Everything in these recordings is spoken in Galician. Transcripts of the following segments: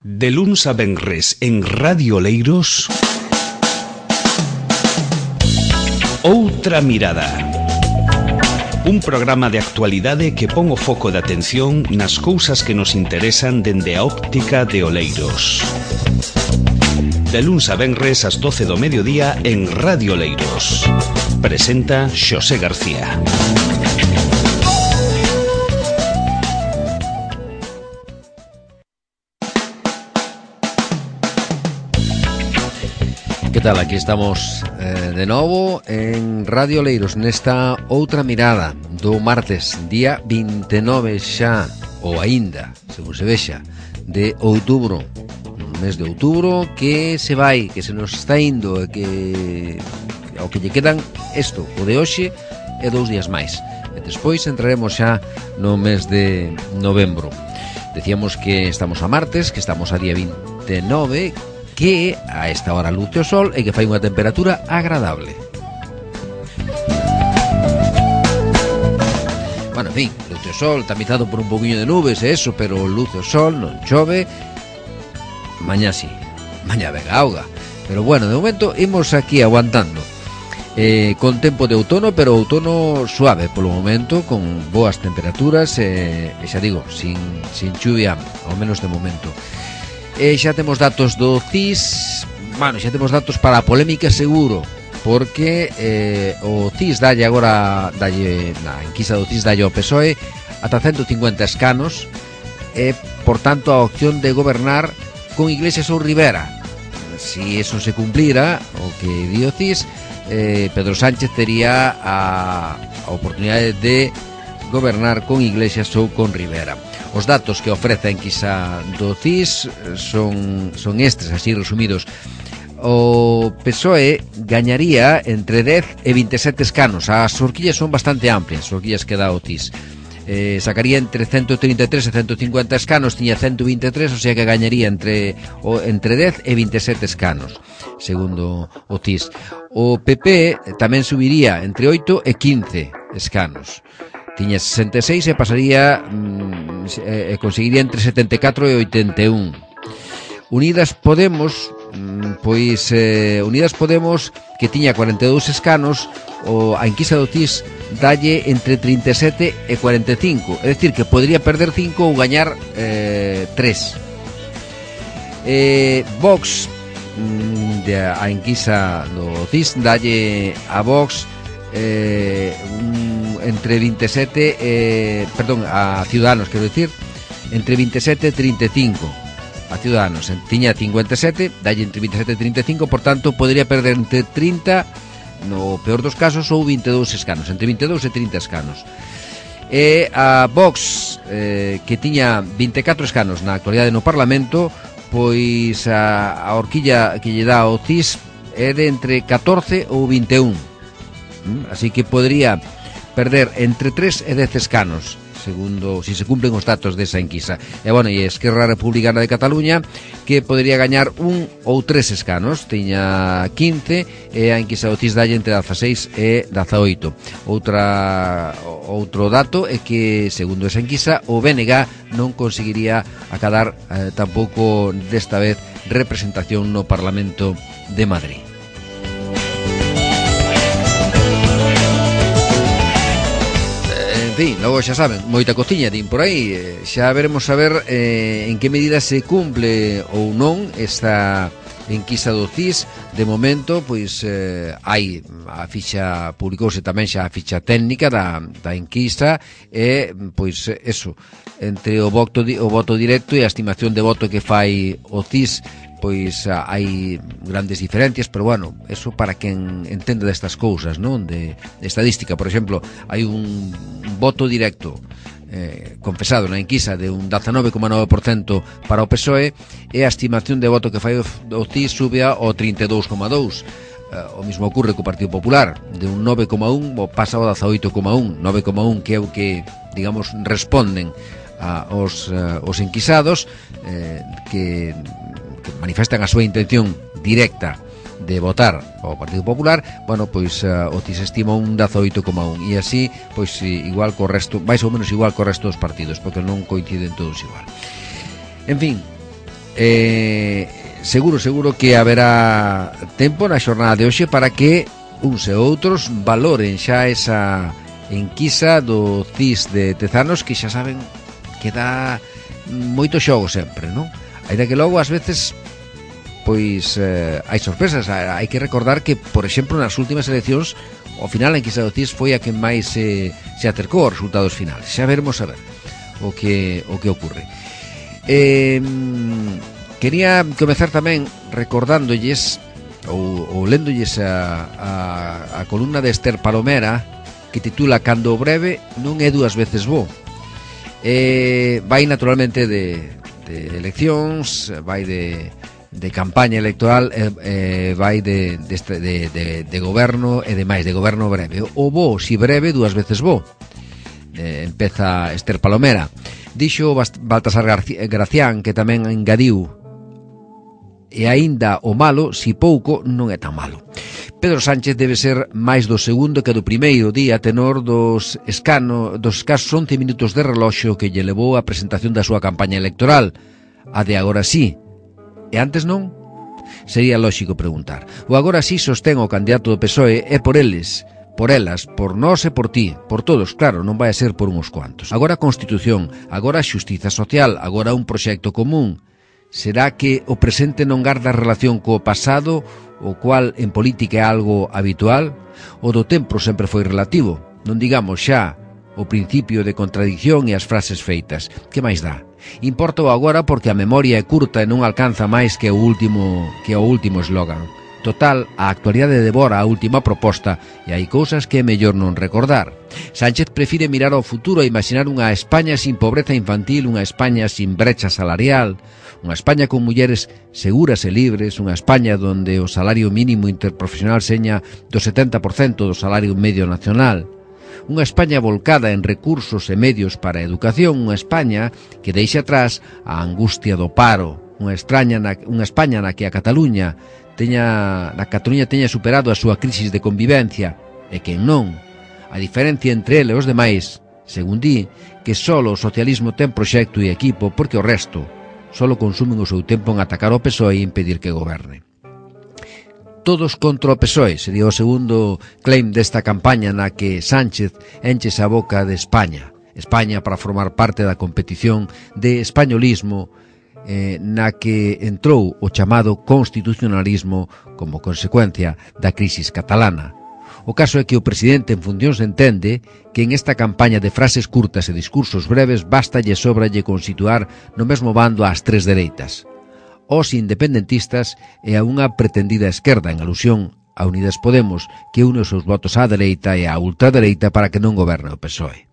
De luns a venres en Radio Oleiros, Outra Mirada. Un programa de actualidade que pon o foco de atención nas cousas que nos interesan dende a óptica de Oleiros. De luns a venres ás 12 do mediodía en Radio Oleiros. Presenta Xosé García. Que tal? Aquí estamos de novo en Radio Oleiros nesta Outra Mirada do martes, día 29 xa, ou aínda, según se vexa, de outubro. Un mes de outubro que se vai, que se nos está indo, que ao que lle quedan isto, o de hoxe e 2 días máis. E despois entraremos xa no mes de novembro. Decíamos que estamos a martes, que estamos a día 29, que a esta hora luce o sol e que fai unha temperatura agradable. Bueno, en fin, luce o sol, tamizado por un poquinho de nubes e eso, pero luce o sol, non chove. Mañá sí, mañá vega auga. Pero bueno, de momento imos aquí aguantando. Con tempo de outono, pero outono suave polo momento, con boas temperaturas e xa digo, sin chuvia, ao menos de momento. Xa temos datos do CIS. Bueno, xa temos datos para a polémica seguro, porque o CIS dalle agora, na enquisa do CIS dalle ao PSOE ata 150 escanos e, por tanto, a opción de gobernar con Iglesias ou Rivera. Si eso se cumplira, o que di o CIS, Pedro Sánchez tería a oportunidade de gobernar con Iglesias ou con Rivera. Os datos que ofrece a enquisa do CIS son estes, así resumidos. O PSOE gañaría entre 10 e 27 escanos. As horquillas son bastante amplias, as horquillas que dá o CIS. Sacaría entre 133 e 150 escanos, tiña 123, o sea que gañaría entre 10 e 27 escanos, segundo o CIS. O PP tamén subiría entre 8 e 15 escanos. Tiña 66 e pasaría conseguiría entre 74 e 81. Unidas Podemos, Unidas Podemos, que tiña 42 escanos, a enquisa do CIS dalle entre 37 e 45, é dicir, que podría perder 5 ou gañar 3. Vox, a enquisa do CIS dalle a Vox entre 27 a Ciudadanos, quero dicir, entre 27 e 35 a Ciudadanos. Tiña 57, dalle entre 27 e 35, por tanto podría perder entre 30, no peor dos casos, ou 22 escanos, entre 22 e 30 escanos. E a Vox, que tiña 24 escanos na actualidade no Parlamento, pois a horquilla que lle dá o CIS é de entre 14 ou 21. Así que podría perder entre 3 e 10 escanos, segundo, si se cumplen os datos desa enquisa. E, bueno, e Esquerra Republicana de Cataluña, que podría gañar 1 ou 3 escanos, tiña 15, e a enquisa do CIS dalle entre 16 e 18. Outro dato é que, segundo esa enquisa, o BNG non conseguiría acadar tampouco desta vez representación no Parlamento de Madrid. En fin, logo xa saben, moita cociña din por aí. Xa veremos a ver en que medida se cumple ou non esta enquisa do CIS. De momento, pois hai a ficha, publicouse tamén xa a ficha técnica da enquisa e, pois, eso, entre o voto directo e a estimación de voto que fai o CIS, pois hai grandes diferencias, pero bueno, eso para quen entende destas cousas, non? De estadística, por exemplo, hai un voto directo confesado na enquisa de un 19,9% para o PSOE, e a estimación de voto que fai o CIS sube ao 32,2%. O mismo ocurre co Partido Popular, de un 9,1 pasa ao 18,1, 9,1 que é o que, digamos, responden aos enquisados, que manifestan a súa intención directa de votar ao Partido Popular. Bueno, pois o CIS estima un 18,1, e así, pois igual co resto, máis ou menos igual co resto dos partidos, porque non coinciden todos igual. En fin, Seguro que haberá tempo na xornada de hoxe para que uns e outros valoren xa esa enquisa do CIS de Tezanos, que xa saben que dá moito xogo sempre, non? Ainda que logo ás veces pois hai sorpresas. Hai que recordar que, por exemplo, nas últimas eleccións ao final a enquisa do CIS foi a que máis se acercou aos resultados finais. Xa veremos a ver o que ocorre. Quería comezar tamén recordándolles ou léndolles a columna de Esther Palomera, que titula Cando o breve non é dúas veces bo. Vai naturalmente de eleccións, vai de campaña electoral, vai de goberno e demais, de goberno breve. O bo, si breve, dúas veces bo. Empeza Esther Palomera. Dixo Baltasar Gracián, que tamén engadiu: e aínda o malo, si pouco, non é tan malo. Pedro Sánchez debe ser máis do segundo que do primeiro día, tenor dos escasos 11 minutos de reloxo que lle levou a presentación da súa campaña electoral, a de agora sí. E antes non? Sería lóxico preguntar. O agora sí sostén o candidato do PSOE é por eles, por elas, por nós e por ti, por todos, claro, non vai a ser por uns cuantos. Agora a Constitución, agora a xustiza social, agora un proxecto común. Será que o presente non garda relación co pasado, o cual en política é algo habitual? O do tempo sempre foi relativo. Non digamos xa o principio de contradicción e as frases feitas. Que máis dá? Importa o agora porque a memoria é curta e non alcanza máis que o último eslogan. Total, a actualidade devora a última proposta e hai cousas que é mellor non recordar. Sánchez prefire mirar ao futuro e imaginar unha España sin pobreza infantil, unha España sin brecha salarial, unha España con mulleres seguras e libres, unha España donde o salario mínimo interprofesional seña do 70% do salario medio nacional, unha España volcada en recursos e medios para a educación, unha España que deixa atrás a angustia do paro, unha España na que a Cataluña teña superado a súa crisis de convivencia, e quen non. A diferencia entre ele e os demais, según di, que só o socialismo ten proxecto e equipo, porque o resto só consumen o seu tempo en atacar o PSOE e impedir que goberne. Todos contra o PSOE sería o segundo claim desta campaña na que Sánchez enchese a boca de España para formar parte da competición de españolismo na que entrou o chamado constitucionalismo como consecuencia da crisis catalana. O caso é que o presidente en funcións entende que en esta campaña de frases curtas e discursos breves bastalle sobralle con situar no mesmo bando ás tres dereitas, os independentistas e a unha pretendida esquerda, en alusión a Unidas Podemos, que une os seus votos á dereita e á ultradereita para que non goberne o PSOE.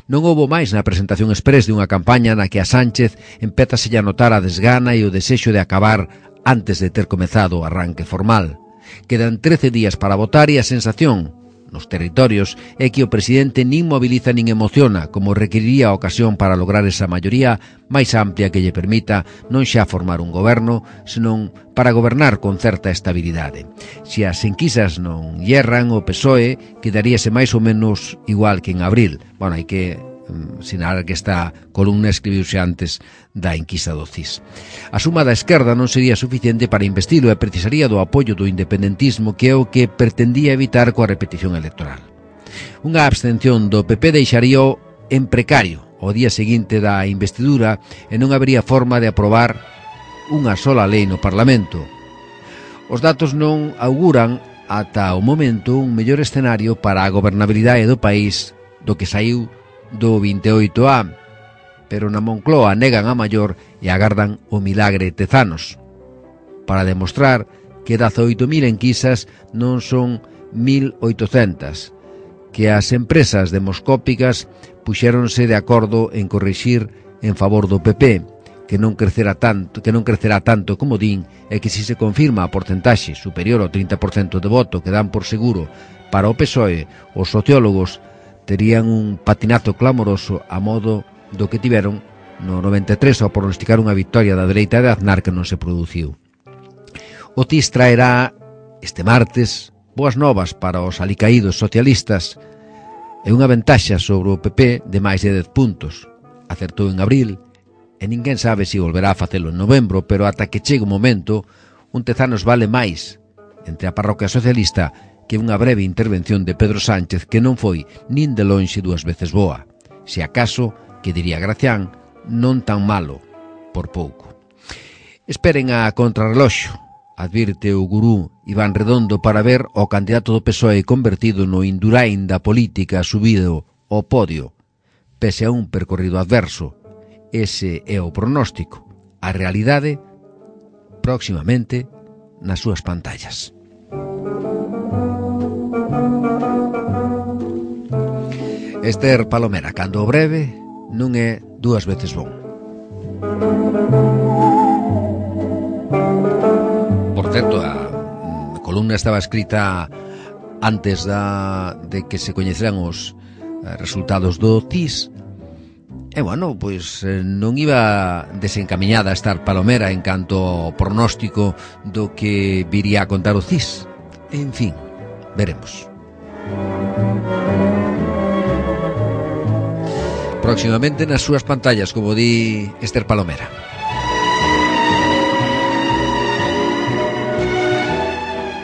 Non houbo máis na presentación exprés de unha campaña na que a Sánchez empézaselle a notar a desgana e o desexo de acabar antes de ter comezado o arranque formal. Quedan 13 días para votar e a sensación nos territorios é que o presidente nin moviliza nin emociona, como requeriría a ocasión para lograr esa maioría máis amplia que lle permita non xa formar un goberno, senón para gobernar con certa estabilidade. Se as enquisas non yerran, o PSOE quedaríase máis ou menos igual que en abril. Bueno, hai que sinalar que esta columna escribiuse antes da enquisa do CIS. A suma da esquerda non sería suficiente para investilo e precisaría do apoio do independentismo, que é o que pretendía evitar coa repetición electoral. Unha abstención do PP deixaría en precario o día seguinte da investidura e non habería forma de aprobar unha sola lei no Parlamento. Os datos non auguran ata o momento un mellor escenario para a gobernabilidade do país do que saiu do 28A, pero na Moncloa negan a maior e agardan o milagre Tezanos, para demostrar que 18.000 enquisas non son 1.800, que as empresas demoscópicas puxéronse de acordo en corrixir en favor do PP, que non crecerá tanto como din, e que se confirma a porcentaxe superior ao 30% de voto que dan por seguro para o PSOE, os sociólogos terían un patinazo clamoroso a modo do que tiveron no 93 ao pronosticar unha victoria da dereita de Aznar que non se produciu. O CIS traerá este martes boas novas para os alicaídos socialistas e unha ventaxa sobre o PP de máis de 10 puntos. Acertou en abril e ninguén sabe se volverá a facelo en novembro, pero ata que chegue o momento, un Tezanos vale máis entre a parroquia socialista que unha breve intervención de Pedro Sánchez que non foi nin de lonxe 2 veces boa. Se acaso, que diría Gracián, non tan malo, por pouco. Esperen a contrarreloxo, advirte o gurú Iván Redondo para ver o candidato do PSOE convertido no Indurain da política subido ao podio, pese a un percorrido adverso. Ese é o pronóstico. A realidade, próximamente, nas súas pantallas. Esther Palomera, cando o breve non é 2 veces bon. Por certo, a columna estaba escrita antes de que se coñeceran os resultados do CIS. E, bueno, pois non iba desencamiñada a estar Palomera en canto ao pronóstico do que viría a contar o CIS. En fin, veremos. Próximamente nas súas pantallas, como di Esther Palomera.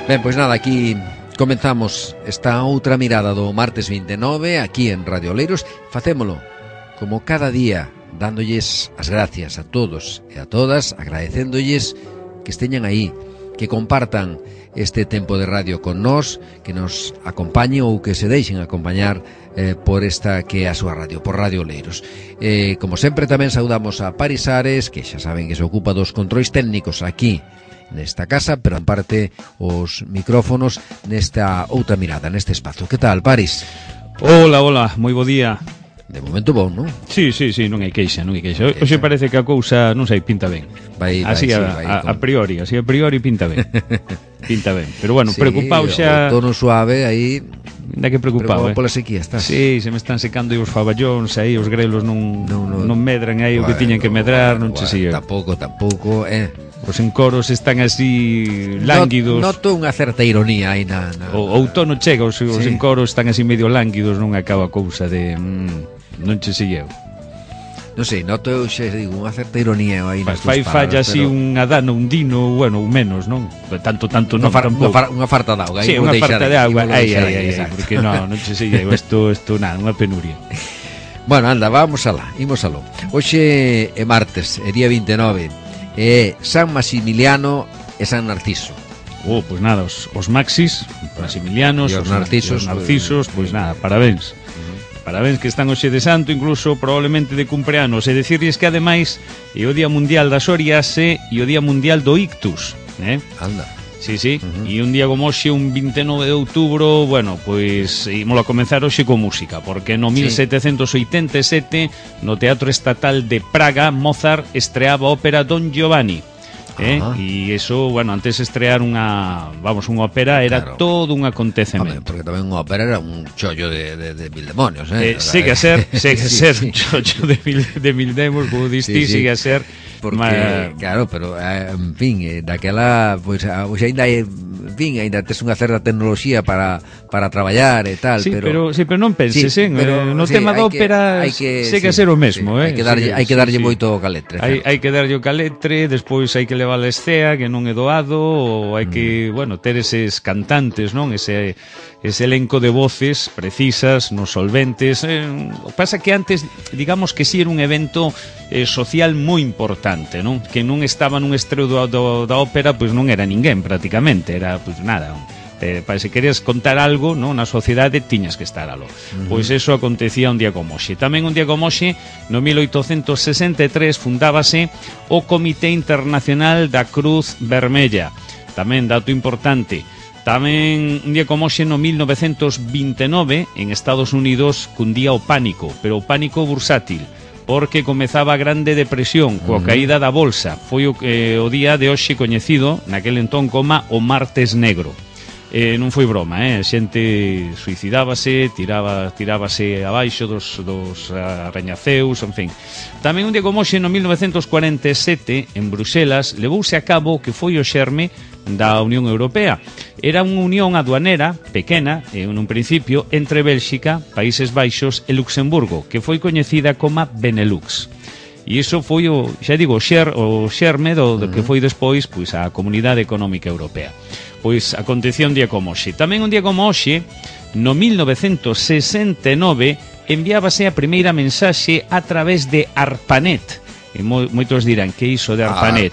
Ben, pois nada, aquí comenzamos esta outra mirada do martes 29 aquí en Radio Oleiros. Facémolo como cada día, dándolles as gracias a todos e a todas, agradecéndolles que esteñan aí, que compartan este tempo de radio con nós, que nos acompañen ou que se deixen acompañar por esta que é a súa radio, por Radio Oleiros. Como sempre tamén saudamos a Paris Ares, que xa saben que se ocupa dos controis técnicos aquí nesta casa, pero en parte os micrófonos nesta outra mirada, neste espazo. Que tal, Paris? Hola, moi bo día. De momento bon, non? Sí, non hai queixa, Hoxe parece que a cousa, non sei, pinta ben. Así a priori pinta ben. Pinta ben. Pero bueno, sí, preocupado xa. O tono suave aí. Ainda que preocupado, pola sequía estás. Sí, se me están secando os faballóns aí, os grelos non medran aí o que tiñan que medrar, non che sigue. Tampouco, Os encoros están así lánguidos. Noto unha certa ironía aí na... O outono chega, os encoros están así medio lánguidos, non acaba a cousa de... non che segueu. Non sei, noto eu xa digo unha certa ironía aí nas túas palabras. Fai falla así un adano, un dino, bueno, menos, non? Tanto non tampouco. Unha farta de auga. Sí, unha farta de auga. Aí, porque non che segueu, isto nada, unha penuria. Bueno, anda, vamos alá, imos aló. Hoxe é martes, é día 29. É San Maximiliano e San Narciso. Pois nada, os Maxis, Maximilianos, os Narcisos, pois nada, parabéns. Parabéns que están hoxe de santo, incluso probablemente de cumpleanos. E decirles que ademais é o Día Mundial da Psoriase e o Día Mundial do Ictus, Anda. Sí, e un día como hoxe, un 29 de outubro, bueno, pois ímolo a comenzar hoxe con música, porque no 1787 no Teatro Estatal de Praga Mozart estreaba a ópera Don Giovanni. E iso, bueno, antes de estrear unha ópera era todo un acontecemento. Porque tamén unha ópera era un chollo de mil demonios, Sigue a ser un chollo de mil demonios, como diste, sigue a ser. Porque, claro, pero, en fin, daquela, pois ainda hai, en fin, ainda tes unha certa tecnoloxía para traballar e tal, pero non penses, no tema da ópera segue a ser o mesmo, hai que darlle moito caletre. Hai que darlle o caletre, despois hai que levar a escea, que non é doado, ou hai que, bueno, ter eses cantantes, non? Ese elenco de voces precisas, nos solventes. Pasa que antes, digamos que si era un evento social moi importante, non? Que non estaba nun estreo da ópera, pois non era ninguén prácticamente, era pois nada. Para se querías contar algo, non, na sociedade tiñas que estar aló. Pois eso acontecía un día como hoxe. Tamén un día como hoxe, no 1863 fundábase o Comité Internacional da Cruz Vermella. Tamén dato importante. Tamén un día como hoxe, no 1929, en Estados Unidos cundía o pánico, pero o pánico bursátil, porque comezaba a Grande Depresión coa caída da bolsa. Foi o día de hoxe coñecido naquel entón como o Martes Negro. Non foi broma, a xente suicidábase, tirábase abaixo dos arrañaceus, en fin. Tamén un día como hoxe, no 1947, en Bruxelas, levouse a cabo o que foi o xerme da Unión Europea. Era unha unión aduanera pequena, nun principio, entre Bélxica, Países Baixos e Luxemburgo, que foi coñecida como Benelux. E iso foi o xerme do que foi despois pois a Comunidade Económica Europea. Pois acontecía un día como hoxe. Tamén un día como hoxe, no 1969, enviábase a primeira mensaxe a través de ARPANET. E moitos dirán, que iso de ARPANET?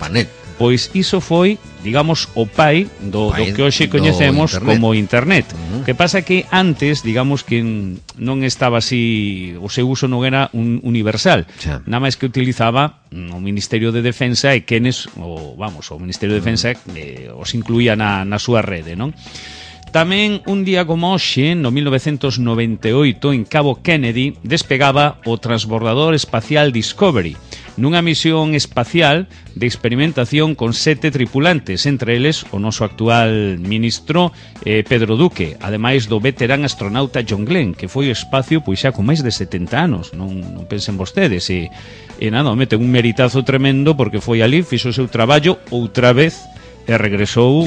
Pois iso foi, digamos, o pai do que hoxe coñecemos como Internet. Que pasa que antes, digamos que non estaba así, o seu uso non era un universal. Nada máis que utilizaba o Ministerio de Defensa e quenes, o Ministerio de Defensa os incluía na súa rede, non? Tamén un día como hoxe, no 1998, en Cabo Kennedy, despegaba o transbordador espacial Discovery, nunha misión espacial de experimentación con 7 tripulantes, entre eles o noso actual ministro Pedro Duque, ademais do veterán astronauta John Glenn, que foi ao espacio pois xa con máis de 70 anos, non pensen vostedes, e nada, mete un meritazo tremendo porque foi ali, fixo o seu traballo outra vez e regresou,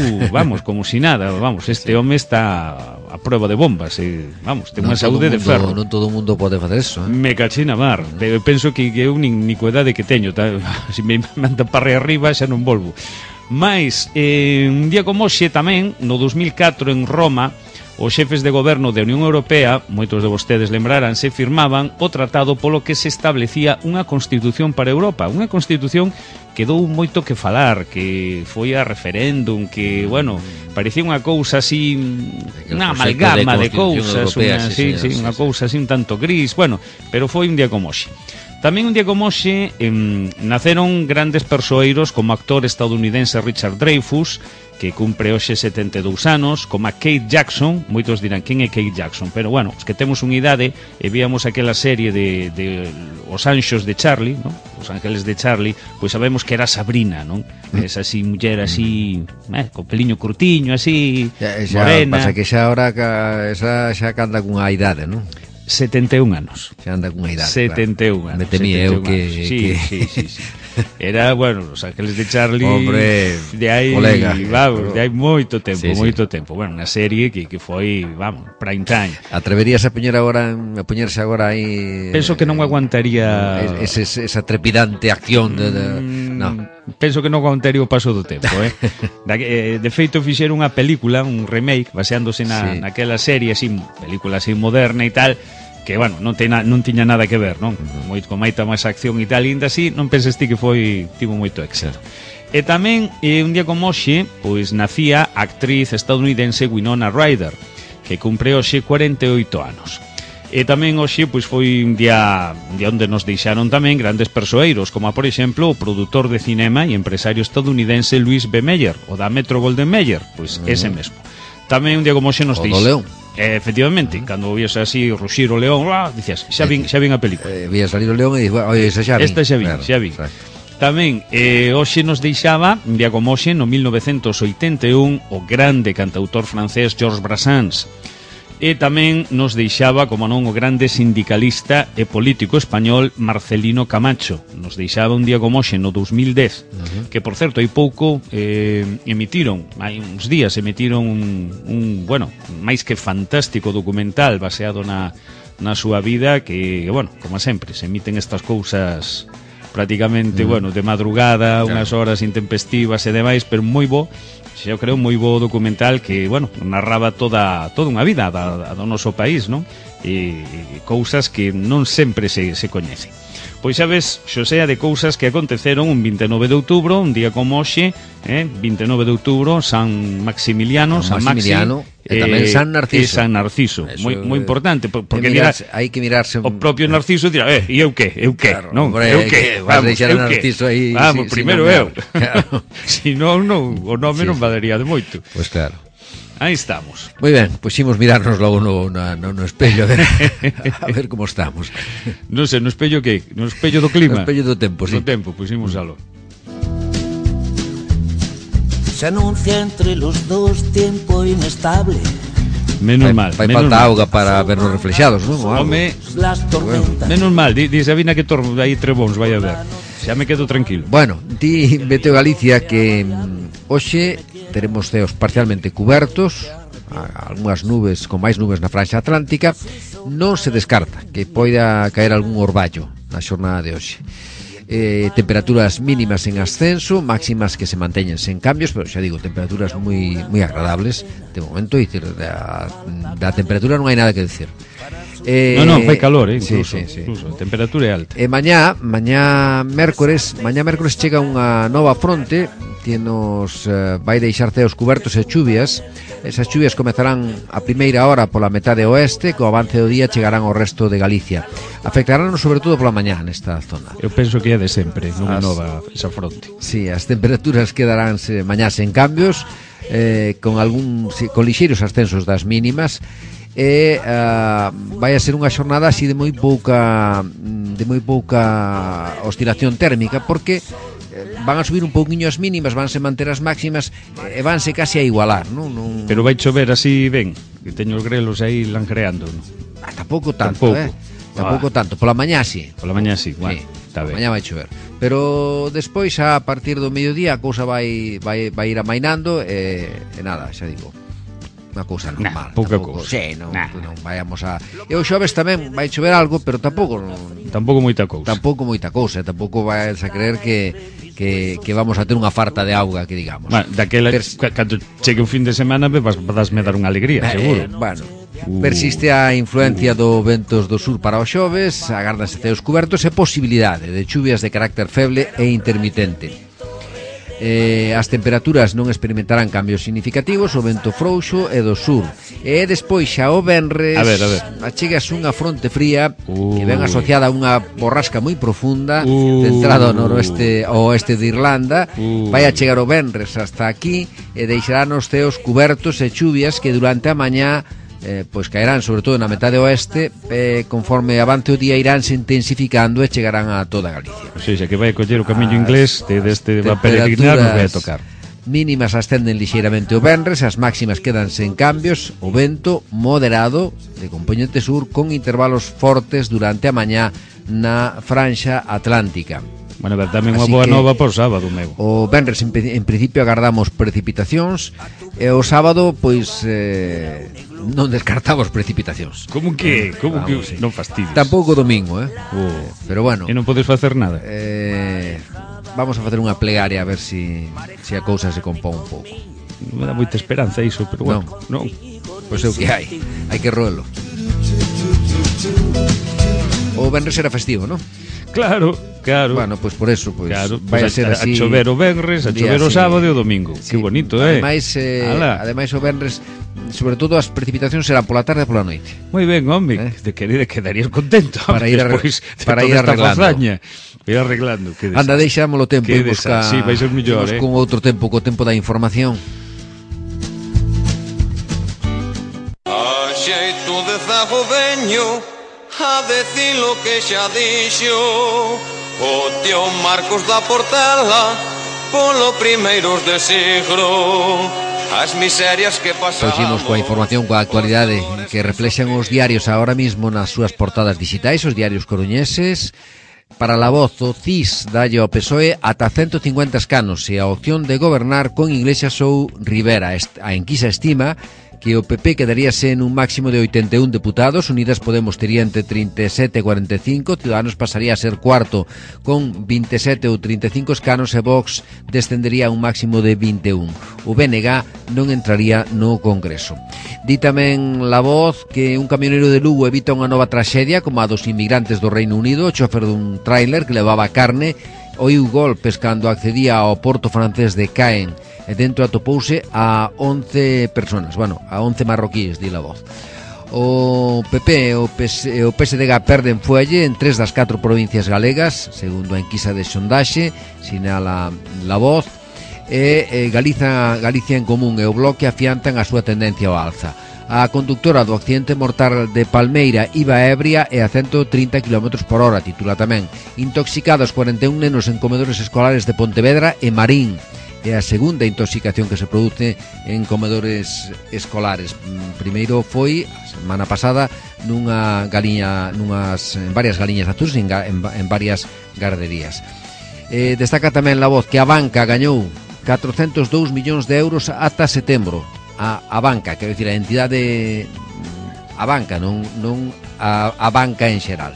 como si nada, este home está a prueba de bombas, ten unha saúde de ferro. Non todo o mundo pode facer eso, Me cachina mar, eu penso que eu nin coedade que teño, se me manda para arriba xa non volvo. Mais, un día como hoxe tamén, no 2004 en Roma, os xefes de goberno da Unión Europea, moitos de vostedes lembraránse, firmaban o tratado polo que se establecía unha constitución para Europa, unha constitución que dou moito que falar, que foi a referéndum, que, parecía unha cousa así, unha amalgama de cousas, unha cousa así un tanto gris, pero foi un día como hoxe. Tamén un día como hoxe naceron grandes persoeiros como o actor estadounidense Richard Dreyfuss, que cumpre hoxe 72 anos, como a Kate Jackson. Moitos dirán, quen é Kate Jackson? Pero, os que temos unha idade e víamos aquela serie de Os Anxos de Charlie, ¿no? Os Ángeles de Charlie, pois sabemos que era Sabrina, non? Esa así, muller así, co peliño curtiño, así, morena. Pasa que xa ahora xa canta cunha idade, non? 71 anos. Xa anda cunha idade. 71 anos. Me temía eu que... Sí. Era, Os Ángeles de Charlie. Hombre, de aí, colega. De hai moito tempo, tempo. Unha serie que foi, prime time. Atreverías a poñerse agora aí... Penso que non aguantaría... Esa trepidante acción non. Penso que non aguantaría o paso do tempo, De feito, fixeron unha película, un remake, baseándose naquela serie, así, película así moderna e tal, que, non tiña nada que ver, non? Con moita máis acción e tal, ainda así, non penses ti que tivo moito éxito. E tamén, un día como hoxe, pois nacía a actriz estadounidense Winona Ryder, que cumpre hoxe 48 anos. E tamén hoxe pois foi un día onde nos deixaron tamén grandes persoeiros, como por exemplo o produtor de cinema e empresario estadounidense Louis B. Mayer, o da Metro-Goldwyn-Mayer, pois ese mesmo. Tamén un día como hoxe nos deixaron. Efectivamente, cando vías así ruxir o león, dicías, xa vin a película. Vía salir o león e dixo, oi, esa xa vin. Esta xa vin. Tamén, hoxe nos deixaba, un día como hoxe, no 1981, o grande cantautor francés Georges Brassens. E tamén nos deixaba, como non, o grande sindicalista e político español Marcelino Camacho. Nos deixaba un día como hoxe, no 2010, que, por certo, hai pouco hai uns días emitiron un máis que fantástico documental baseado na súa vida, que, como sempre, se emiten estas cousas prácticamente, de madrugada, unhas horas intempestivas e demais, pero moi bo. Eu creo moi bo documental que, narraba toda unha vida do noso país, non? E cousas que non sempre se coñecen. Pois xa ves, Xosea, de cousas que aconteceron un 29 de outubro, un día como hoxe, 29 de outubro, San Maximiliano, San Maximiliano, e tamén San Narciso. E San Narciso, moi importante, porque hai que mirarse o propio Narciso dirá, e eu que? Claro, non, eu que? Vas deixar a Narciso aí. Vamos, primeiro eu. Si non, o nome non valería de moito. Pois claro. Aí estamos. Moi ben, pois imos mirarnos logo no espello a ver como estamos. Non sei, no espello que? No espello do clima? No espello do tempo, sí. No tempo, pois imos alo. Se anuncia entre los dos tiempo inestable. Menos mal. Fai falta auga para vernos reflexados, non? Home, menos mal, di Sabina que aí trebóns vai a ver. Xa me quedo tranquilo. Bueno, di Meteo Galicia que hoxe teremos ceos parcialmente cubertos, algunhas nubes, con máis nubes na franxa atlántica. Non se descarta que poida caer algún orballo na xornada de hoxe. temperaturas mínimas en ascenso, máximas que se manteñen sen cambios, pero xa digo, temperaturas moi agradables de momento, e dicir, da temperatura non hai nada que decir. Non, fai calor, incluso, sí. incluso, a temperatura é alta. Mañá mércores chega unha nova fronte que nos vai deixar ceos cubertos e chuvias. Esas chuvias comezarán a primeira hora pola metade oeste, co avance do día chegarán ao resto de Galicia. Afectaránnos sobre todo pola mañá nesta zona. Eu penso que é de sempre, non é nova esa fronte. Sí, as temperaturas quedaránse mañá sen cambios, con lixeiros ascensos das mínimas, e vai a ser unha xornada así de moi pouca oscilación térmica, porque van a subir un pouquiño as mínimas, vanse manter as máximas e vanse casi a igualar, non? Pero vai chover así ben, que teño os grelos aí langreando, non? Tampouco tanto, tampouco tanto. Pola mañá sí. Pola mañá sí, bueno, está ben. Mañá vai chover. Pero despois, a partir do mediodía, a cousa vai ir amainando e nada, xa digo, unha cousa normal. Pouca cousa. Sí, non vayamos a... E o xoves tamén vai chover algo, pero tampouco moita cousa. Tampouco vais a creer que vamos a ter unha farta de auga, que digamos. Bueno, daquela, cando chegue o fin de semana, vasme dar unha alegría, seguro. Bueno, persiste a influencia do ventos do sur para o xoves, agárdanse ceos cubertos e posibilidade de chuvias de carácter feble e intermitente. As temperaturas non experimentarán cambios significativos, o vento frouxo e do sur. E despois xa o venres achegas unha fronte fría que ven asociada a unha borrasca moi profunda centrada ao noroeste ao oeste de Irlanda. Vai a chegar o venres hasta aquí e deixarán os ceos cubertos e chuvias que durante a mañá pois caerán sobre todo na metade oeste, conforme avance o día iránse intensificando e chegarán a toda Galicia. O sea, que vai coller o camiño inglés deste va peregrinar, nos vai a tocar. Mínimas ascenden lixeiramente o venres, as máximas quedan sen cambios, o vento moderado de compoñente sur con intervalos fortes durante a mañá na franxa atlántica. Bueno, tamén unha boa nova por sábado, meu. O venres en principio agardamos precipitacións e o sábado pois non descartamos precipitacións. Como que sí. Non fastidies. Tampouco domingo, pero bueno. E non podes facer nada. Vamos a facer unha plegaria a ver si a cousa se compón un pouco. Non me dá moita esperanza iso, pero bueno, non. Pois é o que hai que roelo. O venres era festivo, non? Claro. Bueno, pois por eso, vai a ser así. A chover o venres, a chover o sábado e o domingo. Sí. Que bonito, Ademais o venres, sobre todo as precipitacións serán pola tarde e pola noite. Moi ben, home, quedarías contento para ir arreglando. Ir arreglando. Anda, deixámolo tempo e busca. Sí, vai ser mellor, con outro tempo, co tempo da información. A xeito de zago veño a decir lo que xa dixo o tío Marcos da Portela polo primeiros de siglo. As miserias que pasamos. Seguimos coa información, coa actualidade que reflexan os diarios ahora mismo nas súas portadas digitais, os diarios coruñeses. Para La Voz, o CIS dalle ao PSOE ata 150 escanos e a opción de gobernar con Iglesias ou Rivera. A enquisa estima que o PP quedaríase en un máximo de 81 deputados, Unidas Podemos tería entre 37 e 45, Ciudadanos pasaría a ser cuarto con 27 ou 35 escanos e Vox descendería a un máximo de 21. O BNG non entraría no Congreso. Di tamén La Voz que un camionero de Lugo evita unha nova traxedia como a dos inmigrantes do Reino Unido. O chofer dun tráiler que levaba carne oiu golpes cando accedía ao porto francés de Caen e dentro atopouse a 11 personas, a 11 marroquíes, di La Voz. O PP e o PSDG perden fuelle en 3 das 4 provincias galegas, segundo a enquisa de sondaxe, sinala La Voz, e Galicia en Común e o Bloque afiantan a súa tendencia ao alza. A conductora do accidente mortal de Palmeira iba ebria e a 130 km/h, titula tamén. Intoxicados 41 nenos en comedores escolares de Pontevedra e Marín. É a segunda intoxicación que se produce en comedores escolares. Primeiro foi a semana pasada en varias galiñas azuis en varias garderías. Destaca tamén La Voz que a banca gañou 402 millóns de euros ata setembro. A banca, quero dicir, a entidade, a banca, non a banca en xeral.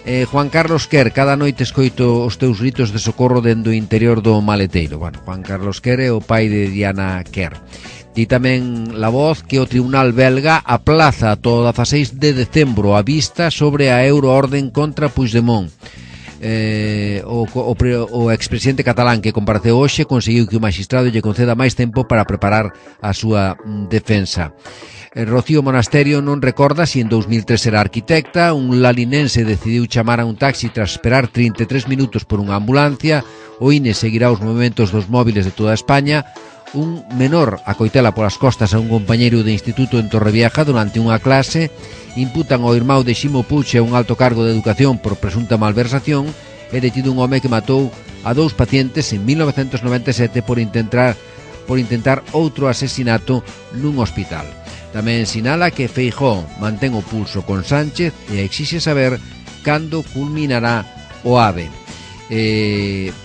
Juan Carlos Quer, cada noite escoito os teus gritos de socorro dentro do interior do maleteiro. Bueno, Juan Carlos Quer é o pai de Diana Quer. Di tamén La Voz que o Tribunal belga aplaza todo 16 de decembro a vista sobre a euroorden contra Puigdemont. O expresidente catalán que compareceu hoxe conseguiu que o magistrado lle conceda máis tempo para preparar a súa defensa. Rocío Monasterio non recorda se en 2003 era arquitecta. Un lalinense decidiu chamar a un taxi tras esperar 33 minutos por unha ambulancia. O INE seguirá os movementos dos móviles de toda España. Un menor acoitela polas costas a un compañeiro de instituto en Torrevieja durante unha clase. Imputan ao irmão de Ximo Puig a un alto cargo de educación por presunta malversación. É detido un home que matou a 2 pacientes en 1997 por intentar outro asesinato nun hospital. Tamén sinala que Feijóo mantén o pulso con Sánchez e exixe saber cando culminará o AVE.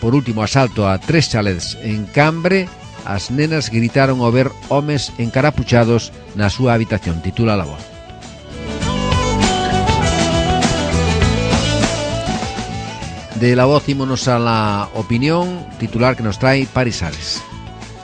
Por último, asalto a 3 chalets en Cambre. As nenas gritaron ao ver homes encarapuchados na súa habitación, titula La Voz. De La Voz ímonos a La Opinión, titular que nos trae Paris Sales.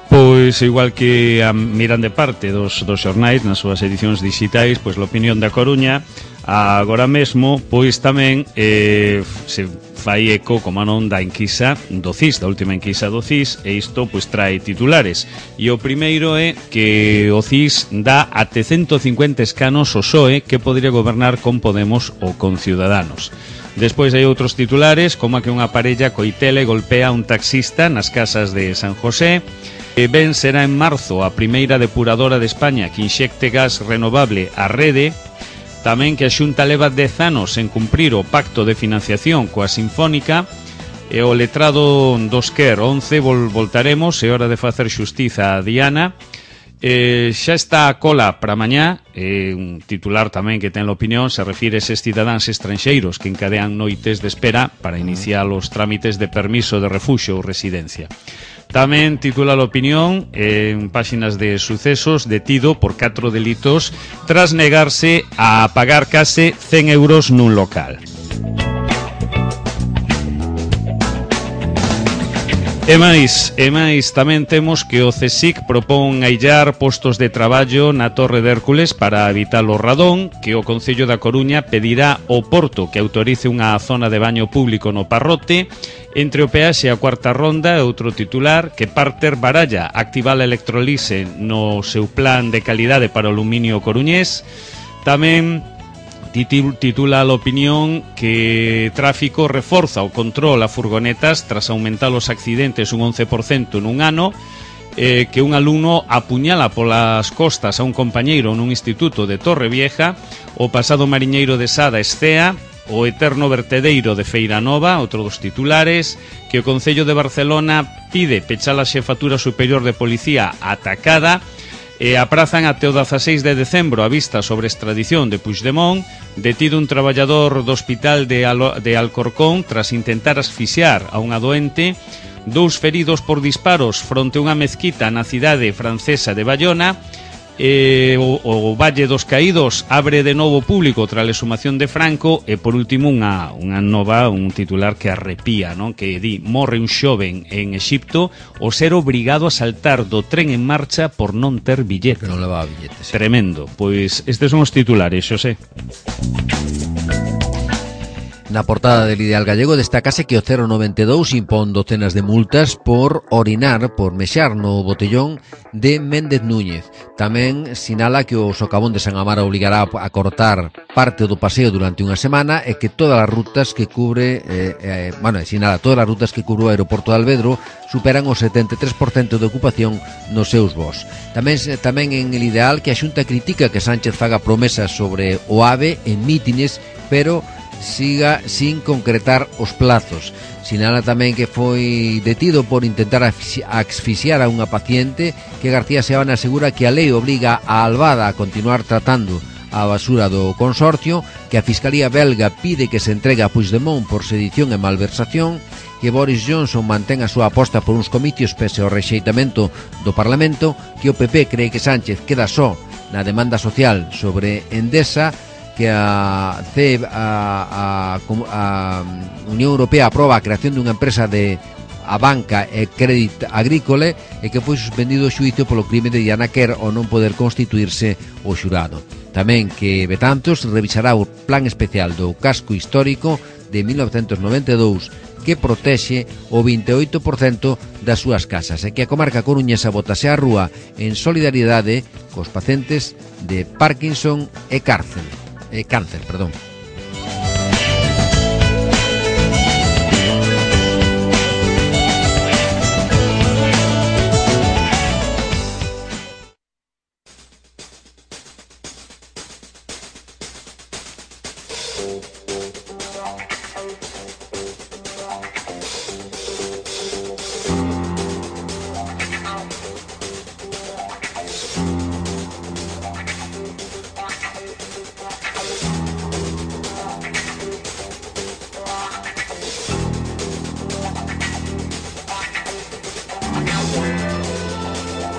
Pois igual que a mirande parte dos xornais nas súas edicións digitais, pois a Opinión da Coruña agora mesmo pois tamén se fai eco, como non, da enquisa do CIS, da última enquisa do CIS, e isto pois trae titulares. E o primeiro é que o CIS dá até 150 escanos ao PSOE que podría gobernar con Podemos ou con Ciudadanos. Despois hai outros titulares, como a que unha parella coitela e golpea a un taxista nas casas de San José. Ben será en marzo a primeira depuradora de España que inxecte gas renovable á rede. Tamén que a Xunta leva 10 anos en cumprir o pacto de financiación coa Sinfónica. E o letrado dos Quer 11 voltaremos, é hora de facer xustiza a Diana. Xa está a cola para mañá. Un titular tamén que ten a Opinión se refire a eses cidadáns estranxeiros que encadean noites de espera para iniciar os trámites de permiso de refuxio ou residencia. Tamén titula a Opinión en páxinas de sucesos: detido por 4 delitos tras negarse a pagar case 100 euros nun local. E máis tamén temos que o CSIC propón aillar postos de traballo na Torre de Hércules para evitar o radón, que o Concello da Coruña pedirá ao Porto que autorice unha zona de baño público no Parrote. Entre o peaxe e a cuarta ronda, outro titular, que Parter baralla activar a electrolise no seu plan de calidade para o aluminio coruñés. Tamén titula a Opinión que Tráfico reforza o control a furgonetas tras aumentar os accidentes un 11% nun ano. Que un alumno apuñala polas costas a un compañeiro nun instituto de Torrevieja. O pasado mariñeiro de Sada escea. O eterno vertedeiro de Feiranova, outro dos titulares, que o Concello de Barcelona pide pechar a Xefatura Superior de Policía atacada. E aprazan até o 16 de decembro a vista sobre extradición de Puigdemont. Detido un traballador do hospital de Alcorcón tras intentar asfixiar a unha doente. 2 feridos por disparos fronte a unha mezquita na cidade francesa de Bayona. O Valle dos Caídos abre de novo público tras a exhumación de Franco. E por último un titular que arrepía, non? Que di: morre un xoven en Exipto ao ser obrigado a saltar do tren en marcha por non ter billete. Que non levaba billete, sí. Tremendo. Pois estes son os titulares, Xosé. Na portada del Ideal Gallego destácase que o 092 impón docenas de multas por mexar no botellón de Méndez Núñez. Tamén sinala que o socavón de San Amaro obligará a cortar parte do paseo durante unha semana e que todas as rutas que cubre todas as rutas que cubre o aeroporto de Alvedro superan o 73% de ocupación nos seus voos. Tamén en el Ideal que a Xunta critica que Sánchez faga promesas sobre o AVE en mítines, pero siga sin concretar os plazos. Sinala tamén que foi detido por intentar asfixiar a unha paciente, que García Seabana asegura que a lei obliga a Albada a continuar tratando a basura do consorcio, que a Fiscalía belga pide que se entregue a Puigdemont por sedición e malversación, que Boris Johnson mantén a súa aposta por uns comicios pese ao rexeitamento do Parlamento, que o PP cree que Sánchez queda só na demanda social sobre Endesa, que a Unión Europea aproba a creación dunha empresa de a banca e crédito agrícola e que foi suspendido o xuízo polo crime de Diana Kerr ao non poder constituirse o xurado. Tamén que Betanzos revisará o plan especial do casco histórico de 1992 que protexe o 28% das súas casas e que a comarca coruñesa botase á rúa en solidariedade cos pacientes de Parkinson e cáncer.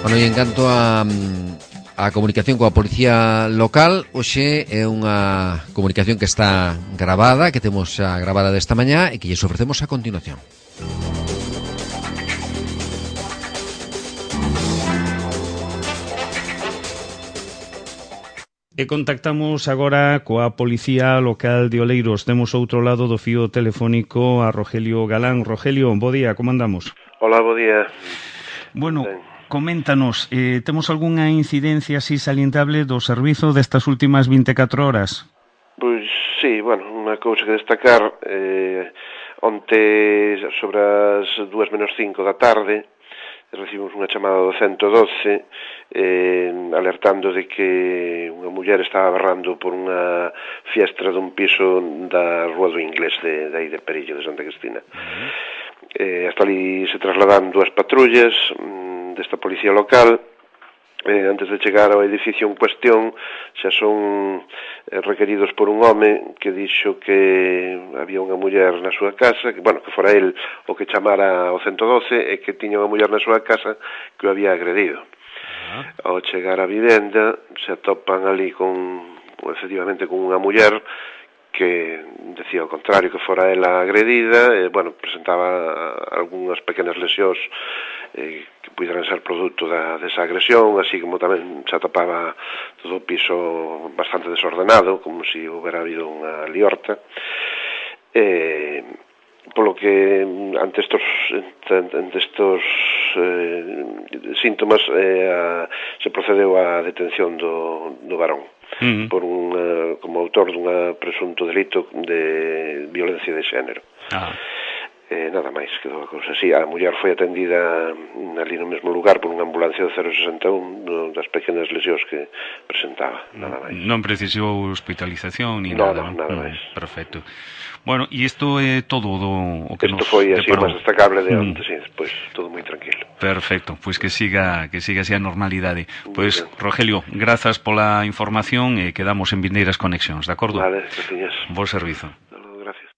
Bueno, e en canto a comunicación coa policía local, hoxe é unha comunicación que está gravada, que temos xa gravada desta mañá e que lles ofrecemos a continuación. E contactamos agora coa Policía Local de Oleiros. Temos outro lado do fío telefónico a Rogelio Galán. Rogelio, bo día, como andamos? Hola, bo día. Bueno, coméntanos, temos algunha incidencia así salientable do servizo destas últimas 24 horas? Pois sí, bueno, unha cousa que destacar, onte sobre as 2:05 da tarde recibimos unha chamada do 112 alertando de que unha muller estaba berrando por unha fiestra dun piso da Rúa do Inglés de aí de Perillo, de Santa Cristina. Hasta ali se trasladan dúas patrullas desta policía local. Antes de chegar ao edificio en cuestión xa son requeridos por un home que dixo que había unha muller na súa casa, que, bueno, que fora el o que chamara ao 112 e que tiña unha muller na súa casa que o había agredido. Ao chegar á vivenda se atopan ali efectivamente con unha muller que decía o contrario, que fora ela agredida, e, bueno, presentaba algunhas pequenas lesións que puderan ser produto desa agresión, así como tamén se atopaba todo o piso bastante desordenado, como se houbera habido unha liorta. Polo que ante estos síntomas se procedeu á detención do varón por como autor dunha presunto delito de violencia de xénero. Nada máis, quedou a cousa así. A muller foi atendida ali no mesmo lugar por unha ambulancia do 061 das pequenas lesións que presentaba, nada máis. Non precisou hospitalización ni nada máis. Perfecto. Bueno, e isto é todo o que isto foi así o máis destacable de onte, sí, despois todo moi tranquilo. Perfecto, pois que siga así a normalidade. Pois, Rogelio, grazas pola información e quedamos en vindeiras conexións, de acordo? Vale, gracias. Bo servizo. Gracias.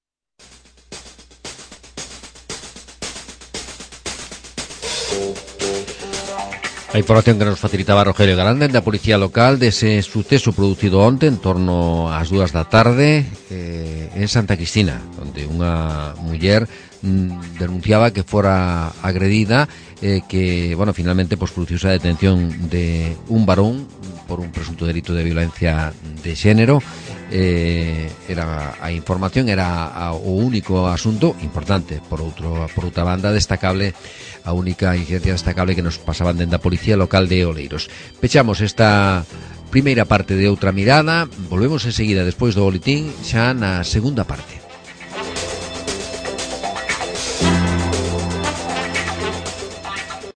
A información que nos facilitaba Rogelio Galán da Policía Local dese suceso producido onte en torno ás 2 da tarde en Santa Cristina, onde unha muller denunciaba que fora agredida que, bueno, finalmente produciuse a detención de un varón por un presunto delito de violencia de xénero. A información era o único asunto importante, por outra banda destacable, a única incidencia destacable que nos pasaban dentro da Policía Local de Oleiros. Pechamos esta primeira parte de Outra Mirada, volvemos enseguida despois do boletín xa na segunda parte.